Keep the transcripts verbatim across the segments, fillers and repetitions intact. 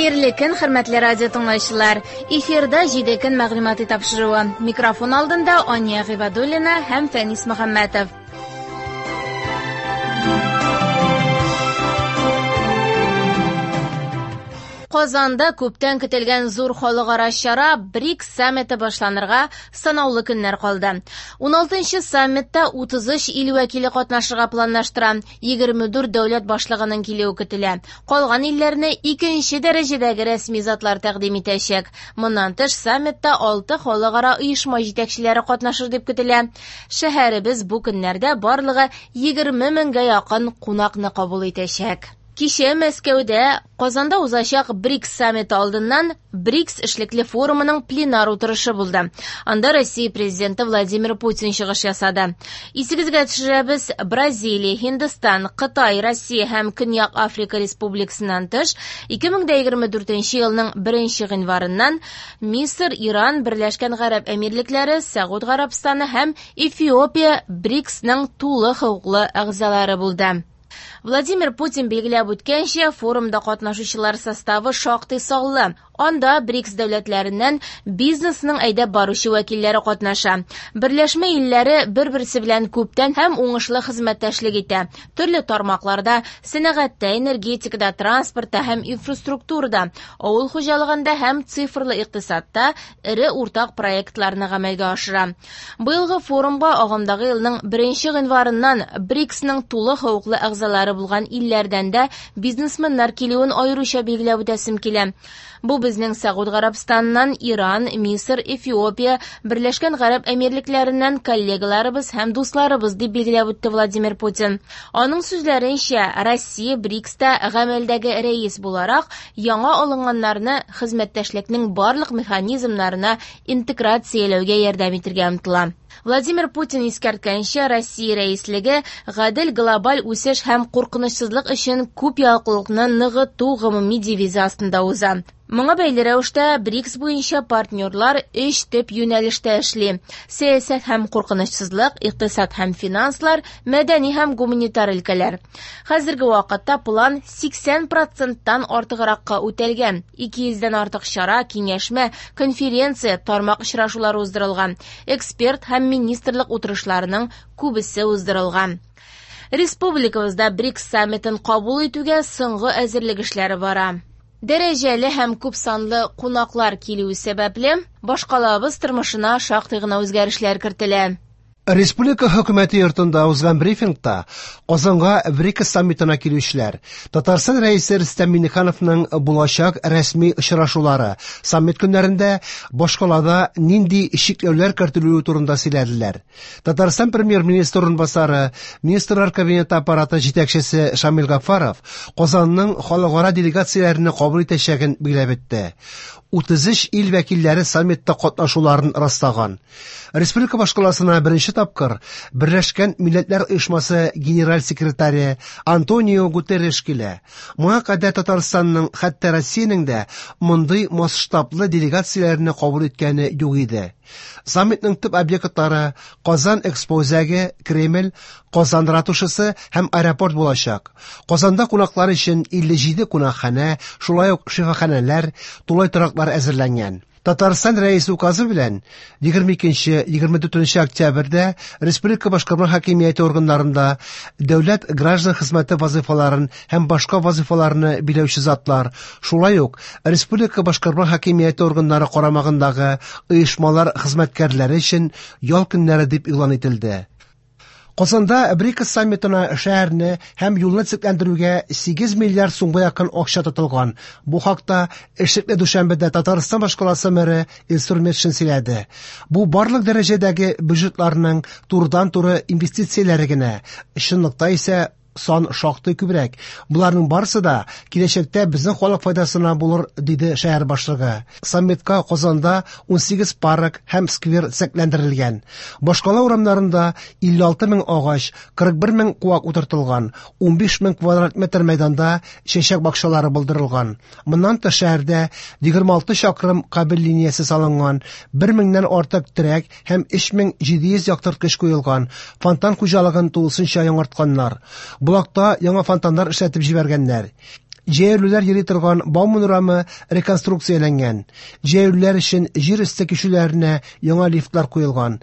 Хәерле көн, хөрмәтле радио тыңлаучылар. Эфирда җиде көн мәгълүмати тапшыруы. Микрофон алдында Ания Гыйбадуллина һәм Фәнис Мөхәммәтов. Казанда күптән көтелгән зур халыкара чара БРИКС саммиты башланырга санаулы көннәр калды. уналтынчы саммитта утыз өч ил вәкиле катнашырга планлаштыра. егерме дүрт дәүләт башлыгының килүе көтелә. Калган илләрне икенче дәрәҗәдәге рәсми затлар тәкъдим итәчәк. Моннан тыш саммитта алты халыкара оешма җитәкчеләре катнашыр дип көтелә. Шәһәребез бу көннәрдә барлыгы егерме меңгә якын кунакны кабул итәчәк. Кичә Мәскәүдә Казанда узачак БРИКС саммиты алдыннан БРИКС эшлекле форумының пленар утырышы булды. Анда Россия президенты Владимир Путин чыгыш ясады. Исегезгә төшерәбез, Бразилия, Һиндстан, Кытай, Россия һәм Көньяк Африка Республикасыннан тыш ике мең дә егерме дүртенче елның беренче гыйнварыннан Мисыр, Иран, Берләшкән Гарәп Әмирлекләре, Сәгуд Гарәбстаны һәм Эфиопия БРИКСның тулы хокуклы әгъзалары булды. Владимир Путин билгеләп үткәнчә, форумда катнашучылар составы шактый саллы. Анда БРИКС дәүләтләреннән бизнесның әйдәп баручы вәкилләре катнаша. Берләшмә илләре бер-берсе белән күптән һәм уңышлы хезмәттәшлек итә. Төрле тармакларда, сәнәгатьтә, энергетикада, транспортта һәм инфраструктурада, авыл хуҗалыгында һәм цифрлы икътисадта эре уртак проектларны гамәлгә ашыра. Быелгы форумга агымдагы елның беренче гыйнварыннан БРИКСның тулы хокуклы әгъзалары булган илләрдән дә бизнесменнар килүен аеруча билгеләп үтәсем килә. Бу безнең Сәгуд Гарәбстаннан, Иран, Мисыр, Эфиопия, Берләшкән Гарәп Әмирлекләреннән коллегаларыбыз һәм дусларыбыз дип билгеләп үтте Владимир Путин. Аның сүзләренчә, Россия БРИКСта гамәлдәге рәис буларак яңа алынганнарны хезмәттәшлекнең барлык механизмнарына интеграцияләүгә ярдәм итәргә омтыла. Владимир Путин искәрткәнчә, Россия рәислеге гадел глобаль үсеш һәм куркынычсызлык өчен күп яклылыкны ныгыту гомуми девизы астында уза. Моңа бәйле рәвештә БРИКС буенча партнерлар өч төп юнәлештә эшли: сәясәт һәм куркынычсызлык, икътисад һәм финанслар, мәдәни һәм гуманитар өлкәләр. Хәзерге вакытта план сиксән проценттан артыгракка үтәлгән. ике йөздән артык чара, киңәшмә, конференция, тармак очрашулары уздырылган. Эксперт һәм министрлык утырышларының күбесе уздырылган. Республикабызда БРИКС саммитын кабул итүгә соңгы әзерлек эшләре бара. Дәрәҗәле һәм күп санлы кунаклар килүе сәбәпле, башкалабыз тормышына шактый гына үзгәрешләр кертелә. Республика хөкүмәте йортында узган брифингта Казанга БРИКС саммитына килүчеләр, Татарстан рәисе Рөстәм Миңнехановның булачак рәсми очрашулары, саммит көннәрендә башкалада нинди чикләүләр кертелүе турында сөйләделәр. Татарстан премьер-министры урынбасары, Министрлар Кабинеты аппараты җитәкчесе Шамил Гафаров Казанның халыкара делегацияләрен кабул итәчәген билгеләп үтте. утыз өч ил вәкилләре саммитта катнашуларын раслаган. Республика башкаласына беренче тапкыр Берләшкән Милләтләр Оешмасы генераль секретаре Антонио Гутерреш килә. Моңа кадәр Татарстанның, хәтта Россиянең дә мондый масштаблы делегацияләрне кабул иткәне юк иде. Саммитның төп объектлары Казан Экспо үзәге, Кремль, Казан ратушасы һәм аэропорт булачак. Казанда кунаклар өчен илле җиде кунакханә, шулай ук шифаханәләр, тулай тораклар әзерләнгән. Татарстан рәисе указы белән егерме икенче, егерме дүртенче октябрьдә республика башкарма хакимияте органнарында дәүләт граждан хезмәте вазифаларын һәм башка вазифаларны биләүче затлар, шулай ук республика башкарма хакимияте органнары карамагындагы оешмалар хезмәткәрләре өчен ял көннәре дип игълан ителде. Казанда БРИКС саммитына шәһәрне һәм юлны төзекләндерүгә сигез миллиард сумга якын акча тотылган. Бу хакта эшлекле дүшәмбедә Татарстан башкаласы мэры Илсур Метшин сөйләде. Бу барлык дәрәҗәдәге бюджетларның турыдан-туры инвестицияләре генә. Чынлыкта исә сан шактый күбрәк. Буларның барысы да киләчәктә безнең халык файдасына булыр, диде шәһәр башлыгы. Саммитка Казанда унсигез парк һәм сквер төзекләндерелгән. Башкала урамнарында илле алты мең агач, кырык бер мең куак утыртылган, унбиш мең квадрат метр мәйданда чәчәк бакчалары булдырылган. Моннан тыш шәһәрдә егерме алты чакрым кабель линиясе салынган, бер меңнән артык терәк һәм өч мең җиде йөз яктырткыч куелган, фонтан хуҗалыгын тулысынча яңартканнар. Булакта яңа фонтаннар эшләтеп җибәргәннәр. Җәяүлеләр йөри торган Бауман урамы реконструкцияләнгән. Җәяүлеләр өчен җир өсте кичүләренә яңа лифтлар куелган.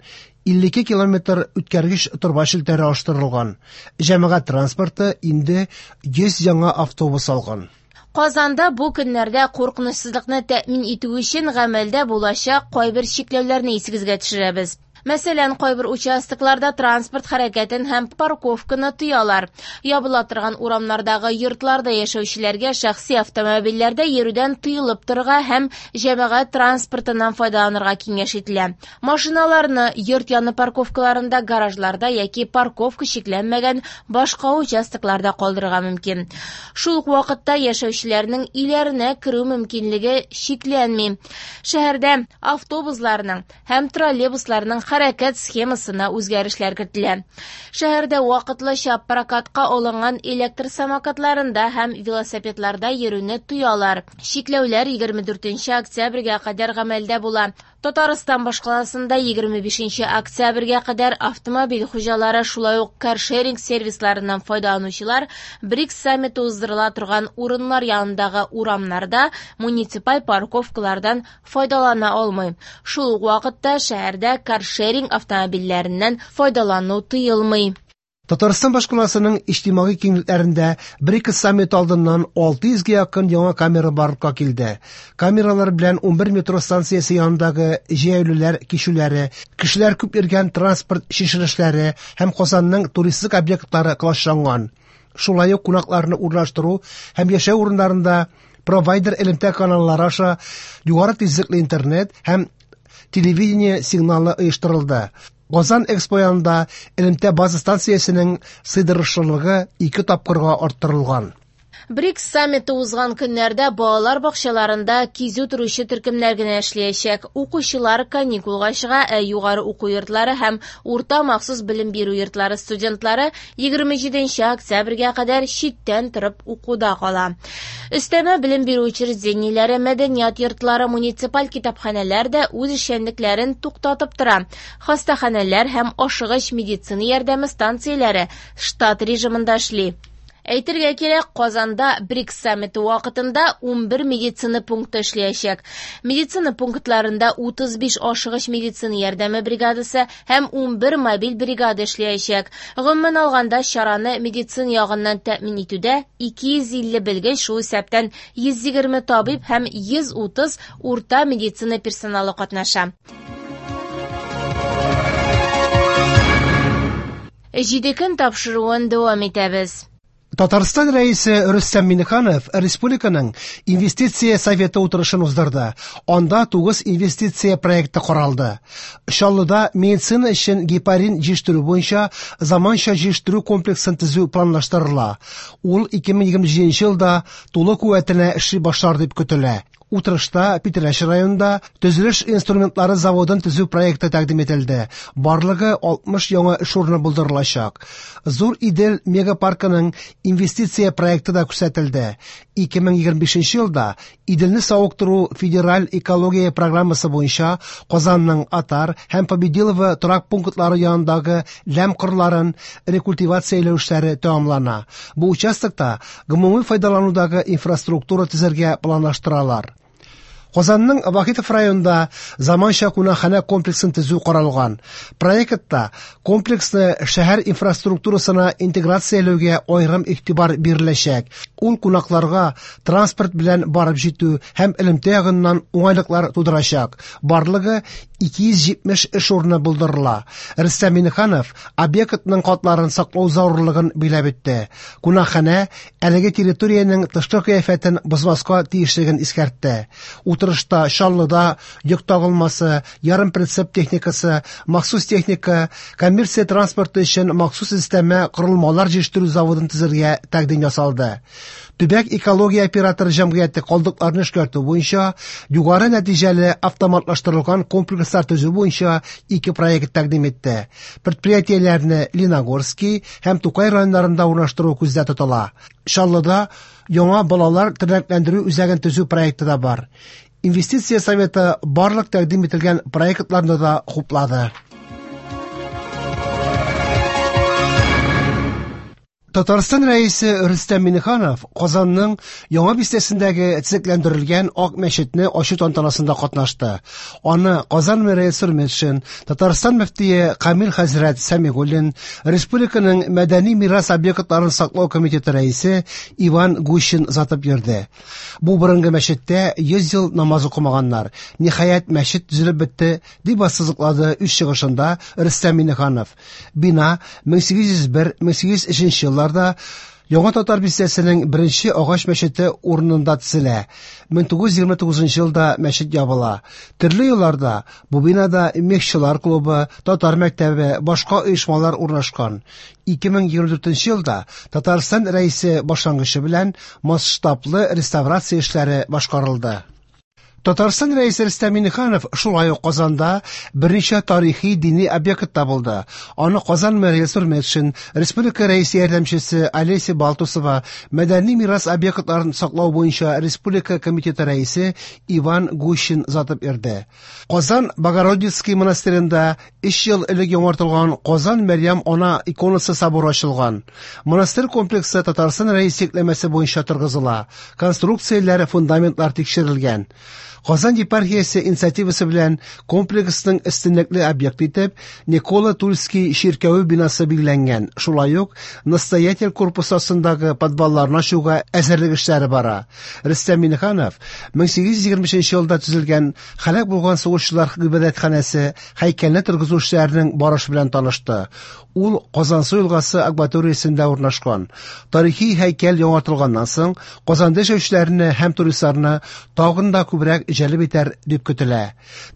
илле ике километр үткәргеч торба челтәре алыштырылган. Җәмәгать транспорты инде йөз яңа автобус алган. Казанда бу көннәрдә куркынычсызлыкны тәэмин итү өчен гамәлдә булачак кайбер чикләүләрне исегезгә төшерәбез. Мәсәлән, кайбер участокларда транспорт хәрәкәтен һәм парковканы тыялар. Ябыла торган урамнардагы йортларда яшәүчеләргә шәхси автомобильләрдә йөрүдән тыелып торырга һәм җәмәгать транспортыннан файдаланырга киңәш ителә. Машиналарны йорт яны парковкаларында, гаражларда яки парковка чикләнмәгән башка участокларда калдырырга мөмкин. Шул ук вакытта яшәүчеләрнең өйләренә керү мөмкинлеге чикләнми. Шәһәрдә автобусларның һәм троллейбусларның хәрәкәт схемасына үзгәрешләр кертелә. Шәһәрдә вакытлыча прокатка алынган электр самокатларында һәм велосипедларда йөрүне тыялар. Чикләүләр егерме дүртенче октябрьгә кадәр гамәлдә була. Татарстан башкаласында егерме бишенче октябрьгә кадәр автомобиль хуҗалары, шулай ук каршеринг сервисларыннан файдаланучылар БРИКС саммиты уздырыла торган урыннар янындагы урамнарда муниципаль парковкалардан файдалана алмый. Шул ук вакытта шәһәрдә каршеринг автомобильләреннән файдалану тыелмый. Татарстан башкаласының иҗтимагый киңлекләрендә БРИКС саммиты алдыннан алты йөзгә якын яңа камера барлыкка килде. Камералар белән унбер метро станциясе янындагы җәяүлеләр кичүләре, кешеләр күп йөргән транспорт чишелешләре һәм Казанның туристик объектлары клашланган. Шулай ук кунакларны урнаштыру һәм яшәү урыннарында провайдер элемтә каналлары аша югары тизлекле интернет һәм телевидение сигналы оештырылды. Казан Экспо янында элемтә база станциясенең сыйдырышлылыгы ике тапкырга арттырылган. БРИКС саммиты узган көннәрдә балалар бакчаларында кизү торучы төркемнәр генә эшләячәк. Укучылар каникулга чыга, ә югары уку йортлары һәм урта махсус белем бирү йортлары студентлары егерме җиденче октябрьгә кадәр читтән торып укуда кала. Өстәмә белем бирү учреждениеләре, мәдәният йортлары, муниципаль китапханәләр дә үз эшчәнлекләрен туктатып тора. Хастаханәләр һәм ашыгыч медицина ярдәме станцияләре штат режимында эшли. Әйтергә кирәк, Казанда БРИКС саммиты вакытында унбер медицина пункты эшләячәк. Медицина пунктларында утыз биш ашыгыч медицина ярдәме бригадасы һәм унбер мобиль бригада эшләячәк. Гомумән алганда, чараны медицина ягыннан тәэмин итүдә ике йөз илле белгеч, шул исәптән йөз егерме табиб һәм йөз утыз урта медицина персоналы катнаша. Җиде көн тапшыруын дәвам итәбез. Татарстан рәисе Рөстәм Миңнеханов республиканың инвестиция советы утырышын уздырды. Анда тугыз инвестиция проекты каралды. Чаллыда медицина өчен гепарин җитештерү буенча заманча җитештерү комплексын төзү планлаштырыла. Ул ике мең егерме җиденче елда тулы куәтенә эшли башлар дип көтелә. Утырышта Питрәч районында төзелеш инструментлары заводын төзү проекты тәкъдим ителде. Барлыгы алтмыш яңа эш урыны булдырылачак. Зур Идел мегапаркының инвестиция проекты да күрсәтелде. Ике мең егерме бишенче елда Иделне савыктыру федераль экология программасы буенча Казанның Атар һәм Победилово торак пунктлары янындагы ләм кырларын рекультивацияләү эшләре тәмамлана. Бу участокта гомуми файдаланудагы инфраструктура төзергә планлаштыралар. Казанның Вахитов районында заманча кунакханә комплексын төзү каралган. Проектта комплексны шәһәр инфраструктурасына интеграцияләүгә аерым игътибар биреләчәк. Ул кунакларга транспорт белән барып җитү һәм элемтә ягыннан уңайлыклар тудырачак. Барлыгы ике йөз җитмеш эш урыны булдырыла. Рөстәм Миңнеханов объектның катларын саклау зарурлыгын биләп үтте. Кунакханә әлеге территориянең тышкы кыяфәтен бозмаска тиешлеген искәртте. Утырышта Чаллыда йөк тагылмасы, ярым прицеп техникасы, махсус техника, коммерция транспорты өчен махсус өстәмә корылмалар җитештерү заводын төзергә тәкъдим ясалды. Төбәк экология операторы җәмгыяте калдыкларны эшкәртү буенча югары нәтиҗәле автоматлаштырылган комплекслар төзү буенча ике проект тәкъдим итте. Предприятиеләрне Леногорский һәм Тукай районнарында урнаштыру күздә тотыла. Чаллыда яңа балалар тернәкләндерү үзәген төзү проекты да бар. Инвестиция советы барлык тәкъдим ителгән проектларны да хуплады. Татарстан Рәисе Рөстәм Миңнеханов Казанның Яңа бистәсендәге төзекләндерелгән Ак мәчетне ачу тантанасында катнашты. Аны Казан мэры Илсур Метшин, Татарстан мөфтие Камил хәзрәт Сәмигуллин, республиканың мәдәни мирас объектларын саклау комитеты рәисе Иван Гущин озатып йөрде. Бу борынгы мәчеттә йөз ел намаз укымаганнар. Ниһаять, мәчет төзелеп бетте, дип ассызыклады үз чыгышында Рөстәм Миңнеханов. Бина мең сигез йөз бер — мең сигез йөз өченче елларда Яңа Татар бистәсенең беренче агач мәчете урынында төзелә. мең тугыз йөз егерме тугызынчы елда мәчет ябыла. Төрле елларда бу бинада мехчылар клубы, татар мәктәбе, башка оешмалар урнашкан. ике мең егерме дүртенче елда Татарстан Рәисе башлангычы белән масштаблы реставрация эшләре башкарылды. Татарстан Рәисе Рөстәм Миңнеханов шулай ук Казанда берничә тарихи дини объектта булды. Аны Казан мэры Илсур Метшин, республика рәисе ярдәмчесе Олеся Балтусова, мәдәни мирас объектларын саклау буенча республика комитеты рәисе Иван Гущин озатып йөрде. Казан Богородицкий монастыренда өч ел элек яңартылган Казан Мәрьям Ана иконасы соборы ачылган. Монастырь комплексы Татарстан Рәисе йөкләмәсе буенча торгызыла. Конструкцияләре, фундаментлар тикшерелгән. Казан епархиясе инициативасы белән комплексның өстенлекле объекты итеп Никола Тульский чиркәве бинасы билгеләнгән. Шулай ук настоятель корпусы астындагы подвалларны ачуга әзерлек эшләре бара. Рөстәм Миңнеханов мең сигез йөз егерме өченче елда төзелгән һәлак булган сугышчылар гыйбадәтханәсе һәйкәлне торгызу эшләренең барышы белән танышты. Ул Казансу елгасы акваториясендә урнашкан. Тарихи һәйкәл яңартылганнан соң Казанда яшәүчеләрне һәм туристларны тагын да күбрәк җәлеп итәр дип көтелә.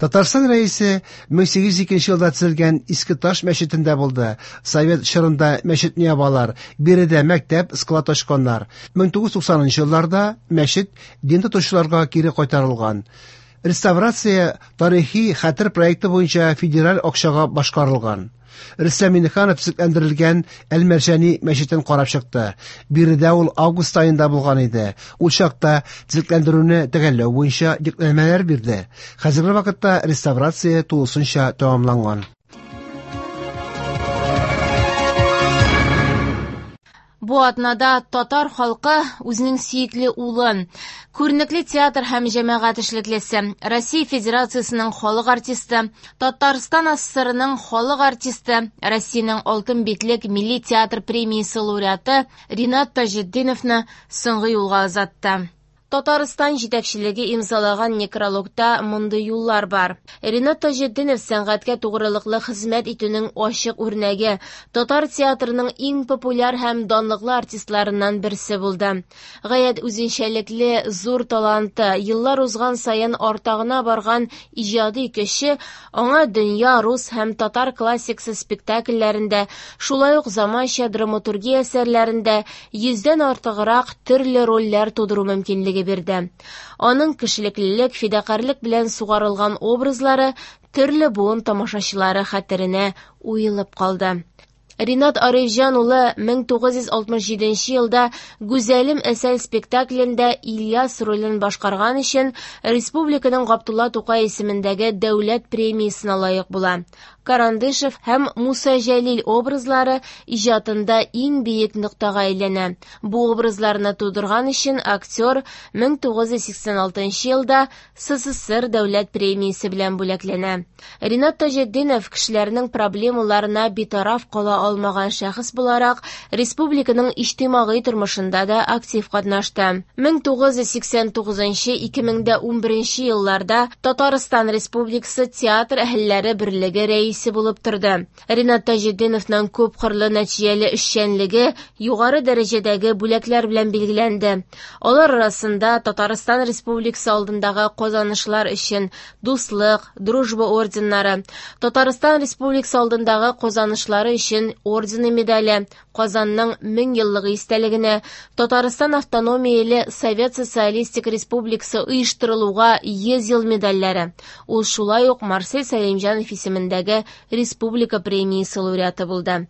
Татарстан Рәисе мең сигез йөз икенче елда төзелгән Иске Таш мәчетендә булды. Совет чорында мәчетне ябалар, биредә мәктәп, склад ачканнар. мең тугыз йөз туксанынчы елларда мәчет дин тотучыларга кире кайтарылган. Реставрация тарихи хәтер проекты буенча федераль акчага башкарылган. Рөстәм Миңнеханов төзекләндерелгән Әл-Мәрҗани мәчетен карап чыкты. Биредә ул август аенда булган иде. Ул чакта төзекләндерүне төгәлләү буенча йөкләмәләр бирде. Хәзерге вакытта реставрация тулысынча тәмамланган. Бу атнада татар халкы үзенең сөекле улын, күренекле театр һәм җәмәгать эшлеклесе, Россия Федерациясенең халык артисты, Татарстан АССРының халык артисты, Россиянең Алтын битлек милли театр премиясе лауреаты Ринат Таҗетдиновны соңгы юлга озатты. Татарстан җитәкчелеге имзалаган некрологта мондый юллар бар. Ринат Таҗетдинов сәнгатькә тугрылыклы хезмәт итүнең ачык үрнәге, татар театрының иң популяр һәм данлыклы артистларыннан берсе булды. Гаять үзенчәлекле зур таланты, еллар узган саен артагына барган иҗади көче аңа дөнья рус һәм татар классикасы спектакльләрендә, шулай ук заманча драматургия әсәрләрендә йөздән артыграк төрле рольләр тудыру мөмкинлеге бирде. Аның кешелеклелек, фидакарьлек белән сугарылган образлары төрле буын тамашачылары хәтеренә уелып калды. Ринат Арифҗан улы мең тугыз йөз алтмыш җиденче елда Гүзәлем әсәл спектаклендә Ильяс ролен башкарган өчен республиканың Габдулла Тукай исемендәге дәүләт премиясенә лаек була. Карандышев һәм Муса Җәлил образлары иҗатында иң бөек ноктага әйләнә. Бу образларны тудырган өчен актер мең тугыз йөз сиксән алтынчы елда СССР дәүләт премиясе белән бүләкләнә. Ринат Таҗетдинов кешеләрнең проблемаларына битараф кала алмаган шәхес буларак республиканың иҗтимагый тормышында да актив катнашты. мең тугыз йөз сиксән тугызынчы — ике мең дә унберенче елларда Татарстан Республикасы театр әһелләре берлеге рәисе булып торды. Ринат Таҗетдиновның күп кырлы нәтиҗәле эшчәнлеге югары дәрәҗәдәге бүләкләр белән билгеләнде. Алар арасында Татарстан Республикасы алдындагы казанышлар өчен Дуслык, Дружба орденнары, Татарстан Республикасы алдындагы казанышлары өчен ордены медале, Казанның мең еллыгы истәлегенә, Татарстан автономияле Совет Социалистик Республикасы оештырылуга йөз ел медальләре. Ул шулай ук Марсель Сәлимҗанов исемендәге республика премиясе лауреаты булды.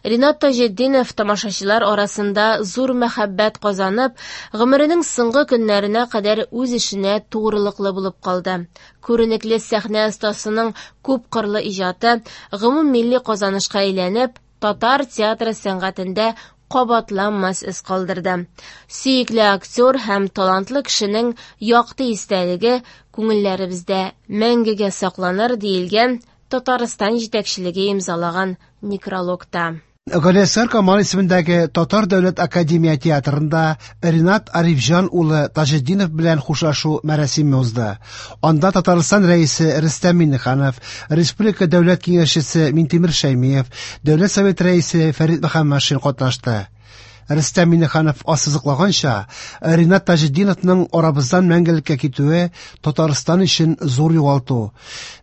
Ринат Таҗетдинов тамашачылар арасында зур мәхәббәт казанып, гомеренең соңгы көннәренә кадәр үз эшенә тугрылыклы булып калды. Күренекле сәхнә остасының күп кырлы иҗаты гомуммилли казанышка әйләнеп, татар театры сәнгатендә кабатланмас эз калдырды. Сөекле актер һәм талантлы кешенең якты истәлеге күңелләребездә мәңгегә сакланыр, диелгән Татарстан җитәкчелеге имзалаган некрологта. Галиәсгар Камал исемендәге Татар дәүләт академия театрында Ринат Арифҗан улы Таҗетдинов белән хушлашу мәрасиме узды. Анда Татарстан Рәисе Рөстәм Миңнеханов, Республика Дәүләт Киңәшчесе Минтимер Шәймиев, Дәүләт Советы Рәисе Фәрит Мөхәммәтшин катнашты. Рөстәм Миңнеханов ассызыклаганча, Ринат Таҗетдиновның арабыздан мәңгелеккә китүе Татарстан өчен зур югалту.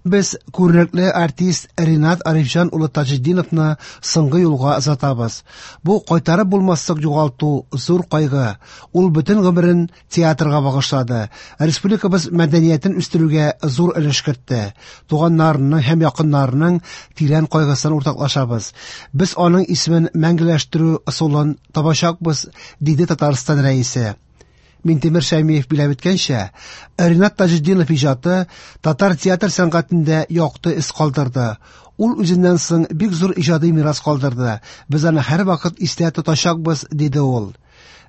Без күренекле артист Ринат Арифҗан улы Таҗетдиновны соңгы юлга озатабыз. Бу кайтарып булмаслык югалту, зур кайгы. Ул бөтен гомерен театрга багышлады. Республикабыз мәдәниятен үстерүгә зур өлеш кертте. Туганнарының һәм якыннарының тирән кайгысын уртаклашабыз. Без аның исемен мәңгеләштерү ысулын табачакбыз, диде Татарстан Рәисе. Минтимер Шәймиев биләп үткәнчә, Ринат Таҗетдинов иҗаты татар театр сәнгатендә якты эз калдырды. Ул үзеннән соң бик зур иҗади мирас калдырды. Без аны һәрвакыт истә тотачакбыз, диде ул.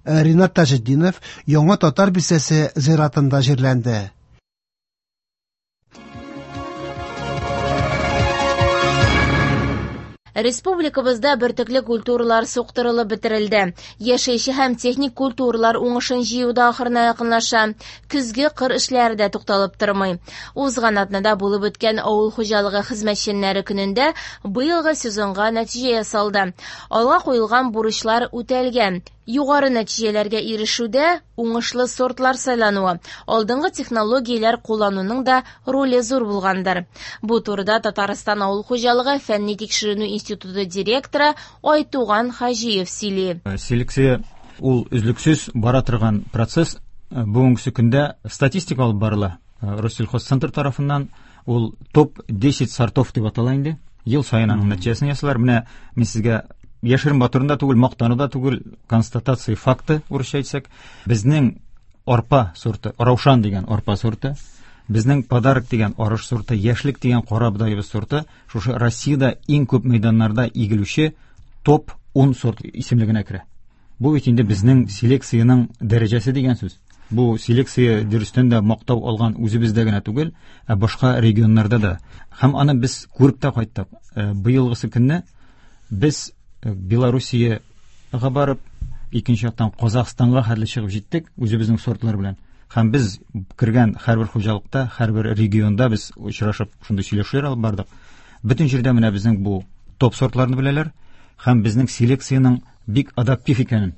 Ринат Таҗетдинов Яңа Татар бистәсе зиратында җирләнде. Республикабызда бөртекле культуралар суктырылып бетерелде. Яшелчә һәм техник культуралар уңышын җыюда ахырына якынлаша. Көзге кыр эшләре дә тукталып тормый. Узган атнада булып үткән авыл хуҗалыгы хезмәтчәннәре көнендә быелгы сезонга нәтиҗә ясалды. Алга куелган бурычлар үтәлгән. Югары нәтиҗәләргә ирешүдә уңышлы сортлар сайлануы, алдынгы технологияләр куллануның да роле зур булгандыр. Бу турыда Татарстан авыл хуҗалыгы фәнни тикшеренү институты директоры Айтуган Хаҗиев сөйли. Селекция ул өзлексез бара торган процесс. Бүгенге көндә статистика алып барыла. Россельхозцентр тарафыннан ул топ десять сортов дип атала инде. Ел саен аның нәтиҗәсен ясалар. Менә мин сезгә яшерен батырын да түгел, мактану да түгел, констатация факты урысча әйтсәк, безнең арпа сорты, Раушан дигән арпа сорты, безнең Подарок дигән арыш сорты, Яшьлек дигән кара бодаебыз сорты, шушы Россиядә иң күп мәйданнарда игелүче топ ун сорт исемлегенә керә. Бу бит инде безнең селекциянең дәрәҗәсе дигән сүз. Бу селекция дөрестән дә мактау алган үзебездә генә түгел, ә башка регионнарда да. Һәм аны без күреп тә кайттык. Быелгысы көнне без Белоруссиягә барып, икенче яктан Казахстанга хәтле чыгып җиттек үзебезнең сортлар белән. Һәм без кергән һәрбер хуҗалыкта, һәрбер регионда без очрашып шундый сөйләшүләр алып бардык. Бөтен җирдә менә безнең бу топ сортларны беләләр һәм безнең селекциянең бик адаптив икәнен.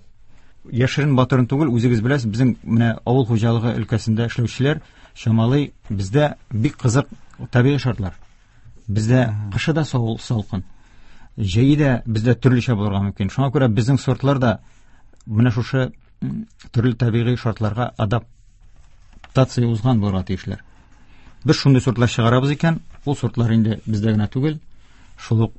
Яшерен батырын түгел, үзегез беләсез, безнең менә авыл хуҗалыгы өлкәсендә эшләүчеләр чамалый, бездә бик кызык табигый шартлар. Бездә кышы да салкын. Җәйе дә бездә төрлечә булырга мөмкин. Шуңа күрә безнең сортлар да менә шушы төрле табигый шартларга адаптация узган булырга тиешләр. Без шундый сортлар чыгарабыз икән, ул сортлар инде бездә генә түгел, шул ук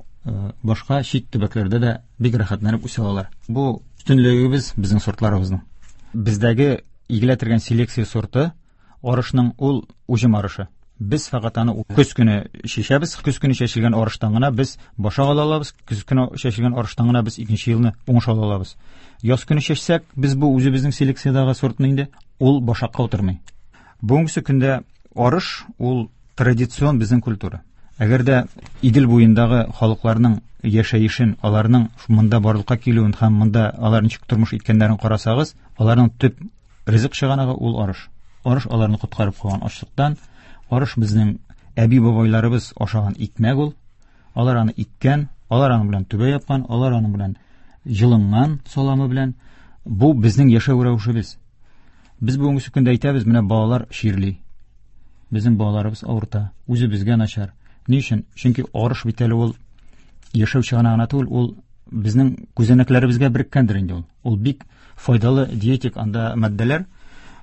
башка чит төбәкләрдә дә бик рәхәтләнеп үсә алалар. Бу өстенлегебез безнең сортларыбызның. Бездәге игелә торган селекция сорты арышның ул уҗым арышы. Без фәкать аны көз көне чәчәбез, көз көне чәчелгән арыштан гына без башак ала алабыз, көз көне чәчелгән арыштан гына без икенче елны уңыш ала алабыз. Яз көне чәчсәк, без бу үзебезнең селекциядәге сортны инде ул башакка утырмый. Бүгенге көндә арыш ул традицион безнең культура. Әгәр дә Идел буендагы халыкларның яшәешен, аларның монда барлыкка килүен һәм монда алар ничек тормыш иткәннәрен карасагыз, аларның төп ризык чыганагы ул арыш. Арыш аларны коткарып калган ачлыктан. Арыш безнең әби-бабайларыбыз ашаган икмәк ул. Алар аны иккән, алар аның белән түбә япкан, алар аның белән җылынган саламы белән. Бу безнең яшәү рәвешебез. Без бүгенге көндә әйтәбез, менә балалар чирли. Безнең балаларыбыз авырта, үзебезгә начар. Ни өчен? Чөнки арыш бит әле ул яшәү чыганагы гына түгел, ул безнең күзәнәкләребезгә береккәндер инде ул. Ул бик файдалы диетик анда матдәләр.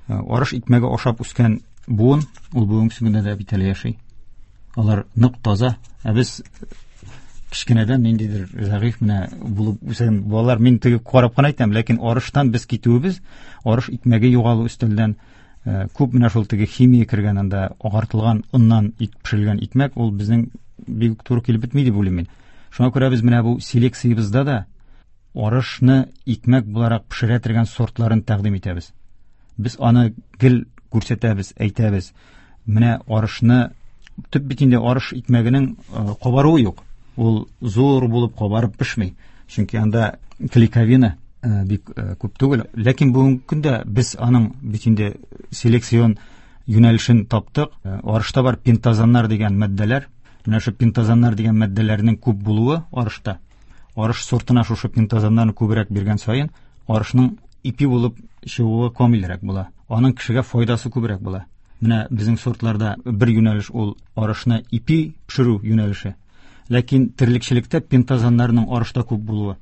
Арыш икмәге ашап үскән буын, ул бүгенге көндә дә бит әле яши. Алар нык таза. Ә без кечкенәдән ниндидер зәгыйфь менә булып үсән балалар, мин теге карап кына әйтәм, ләкин арыштан без китүебез, арыш икмәге югалу өстәлдән, күп менә шул теге химия кергән анда агартылган оннан ит пешерелгән икмәк, ул безнең бик туры килеп бетми дип уйлыйм мин. Шуңа күрә без менә бу селекциябездә дә арышны икмәк буларак пешерә торган сортларын тәкъдим итәбез. Без аны гел күрсәтәбез, әйтәбез. Менә арышны төп бит инде арыш икмәгенең кабаруы юк. Ул зур булып кабарып пешми. Чөнки анда клейковина бик күп түгел. Ләкин бүгенге көндә без аның бит инде селекцион юнәлешен таптык. Арышта бар пентазаннар дигән матдәләр. Менә шу пентазаннар дигән матдәләрнең күп булуы арышта. Арыш сортына шушы пентазаннарны күбрәк биргән саен арышның ипи булып чыгуы камилрәк була. Аның кешегә файдасы күбрәк була. Менә безнең сортларда бер юнәлеш ул арышны ипи пешерү юнәлеше. Ләкин терлекчелектә пентазаннарның арышта күп булуы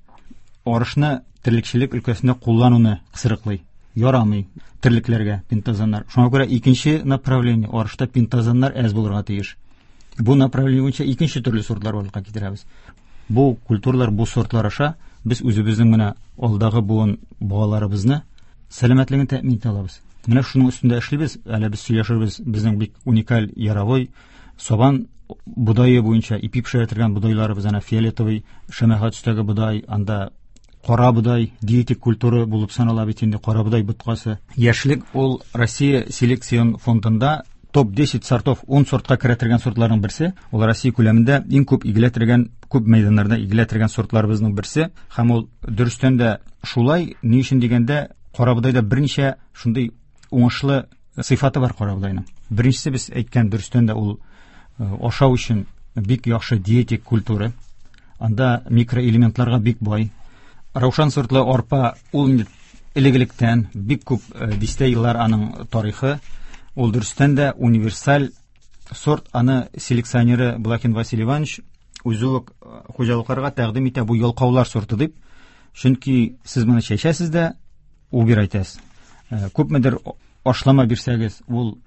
арышны терлекчелек өлкәсендә куллануны кысрыклый. Ярамый терлекләргә пентазаннар. Шуңа күрә икенче направление арышта пентазаннар әз булырга тиеш. Бу направление буенча икенче төрле сортлар барлыкка китерәбез. Бу культуралар, бу сортлар аша без үзебезнең менә алдагы буын балаларыбызны сәламәтлеген тәэмин итә алабыз. Менә шуның өстендә эшлибез. Әле без сөйләшербез, безнең бик уникаль яровой сабан бодае буенча ипи пешерә торган бодайларыбыз, ана фиолетовый, шәмәхә төстәге бодай, анда кара бодай диетик культура булып санала бит инде кара бодай боткасы. Яшьлек ул Россия селекцион фондында топ десять сортов, ун сортка керә торган сортларның берсе. Ул Россия күләмендә иң күп игелә торган, күп мәйданнарда игелә торган сортларыбызның берсе. Һәм ул дөрестән дә шулай, ни өчен дигәндә, кара бодайда берничә шундый уңышлы сыйфаты бар кара бодайның. Беренчесе, без әйткән, дөрестән дә ул ашау өчен бик яхшы диетик культура. Анда микроэлементларга бик бай. Раушан сортлы арпа ул инде элек-электән бик күп дистә еллар аның тарихы. Ул дөрестән дә универсаль сорт, аны селекционеры Блакин Василий Иванович үзе үк хуҗалыкларга тәкъдим итә бу ялкаулар сорты дип. Чөнки сез моны чәчәсез дә, убир әйтәсез. Күпмедер ашлама бирсәгез, ул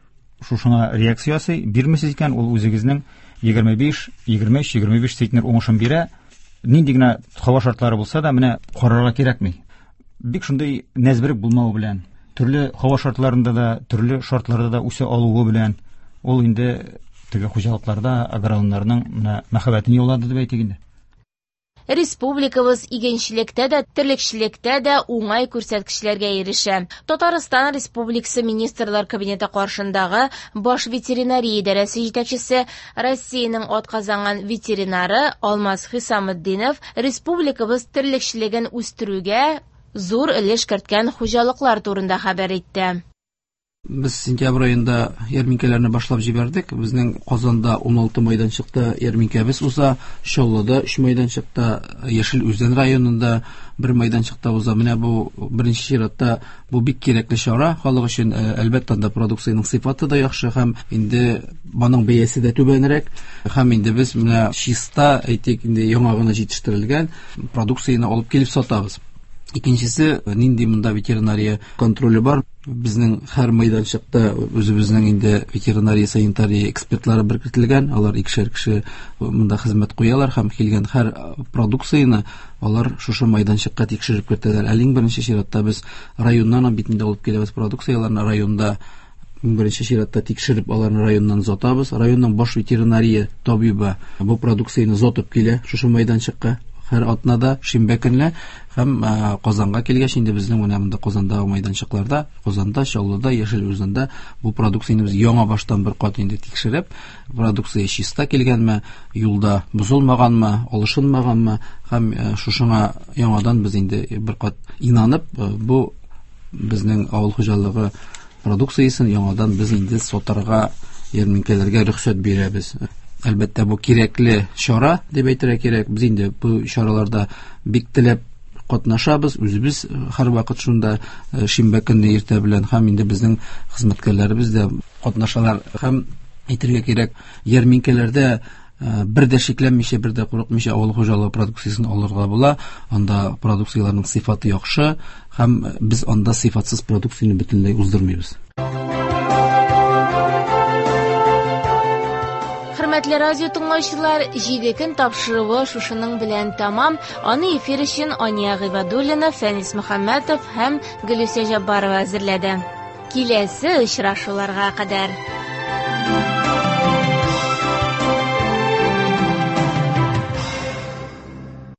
шушыңа реакция ясый, бирмисез икән, ул үзегезнең егерме биш, егерме өч, егерме биш центнер уңышын бирә. Нинди генә һава шартлары булса да, менә карарга кирәкми. Бик шундый нәзберек булмавы белән, төрле һава шартларында да, төрле шартларда да үсә алуы белән, ул инде теге хуҗалыкларда агрономнарның менә мәхәббәтен яулады дип әйтик инде. Республикабыз игенчелектә дә, терлекчелектә дә уңай күрсәткечләргә ирешә. Татарстан Республикасы Министрлар Кабинеты каршындагы Баш ветеринария идарәсе җитәкчесе, Россиянең атказанган ветеринары Алмаз Хисаметдинов республикабыз терлекчелеген үстерүгә зур өлеш керткән хуҗалыклар турында хәбәр итте. Без сентябрь аенда ярминкәләрне башлап җибәрдек. Безнең Казанда ун алты майданчыкта ярминкәбез уза, Чаллыда өч майданчыкта, Яшел Үзән районында бер майданчыкта уза. Менә бу беренче чиратта бу бик кирәкле чара халык өчен. Әлбәттә, анда продукциянең сыйфаты да яхшы һәм инде моның бәясе дә түбәнрәк. Һәм инде без менә чиста, әйтик, инде яңа гына җитештерелгән продукцияне алып килеп сатабыз. Икенчесе, нинди монда ветеринария контроле бар. Безнең һәр майданчыкта үзебезнең инде ветеринария, санитария экспертлары беркетелгән. Алар икешәр кеше монда хезмәт куялар һәм килгән һәр продукцияне алар шушы майданчыкка тикшереп кертәләр. Әле иң беренче чиратта без районнан бит инде алып киләбез продукцияләрне, районда иң беренче чиратта тикшереп аларны районнан озатабыз. Районның баш ветеринария табибы бу продукцияне озатып килә шушы майданчыкка. Һәр атнада шимбә көнле һәм, э, Казанга килгәч инде безнең менә монда Казандагы майданчыкларда, Казанда, Чаллыда, Яшел Үзәндә бу продукцияне без яңа баштан бер кат инде тикшереп, продукция чиста килгәнме, юлда бозылмаганмы, алышынмаганмы һәм, э, шушыңа яңадан без инде бер кат инанып, э, бу безнең авыл хуҗалыгы продукциясен яңадан без инде сатарга, ярминкәләргә рөхсәт бирәбез. Әлбәттә, бу кирәкле чара дип әйтергә кирәк. Без инде бу чараларда бик теләп катнашабыз. Үзебез һәрвакыт шунда, э, шимбә көнне иртә белән һәм инде безнең хезмәткәрләребез дә катнашалар. Һәм әйтергә кирәк, ярминкәләрдә, э, бер дә шикләнмичә, бер дә курыкмыйча авыл хуҗалыгы продукциясен алырга була. Анда продукцияләрнең сыйфаты яхшы һәм без анда сыйфатсыз продукцияне бөтенләй уздырмыйбыз. Хөрмәтле радио тыңлаучылар, җиде көн тапшыруы шушының белән тамам. Аны эфир өчен Ания Гыйбадуллина, Фәнис Мөхәммәтов һәм Гөлүсә Җаббарова әзерләде. Киләсе очрашуларга кадәр.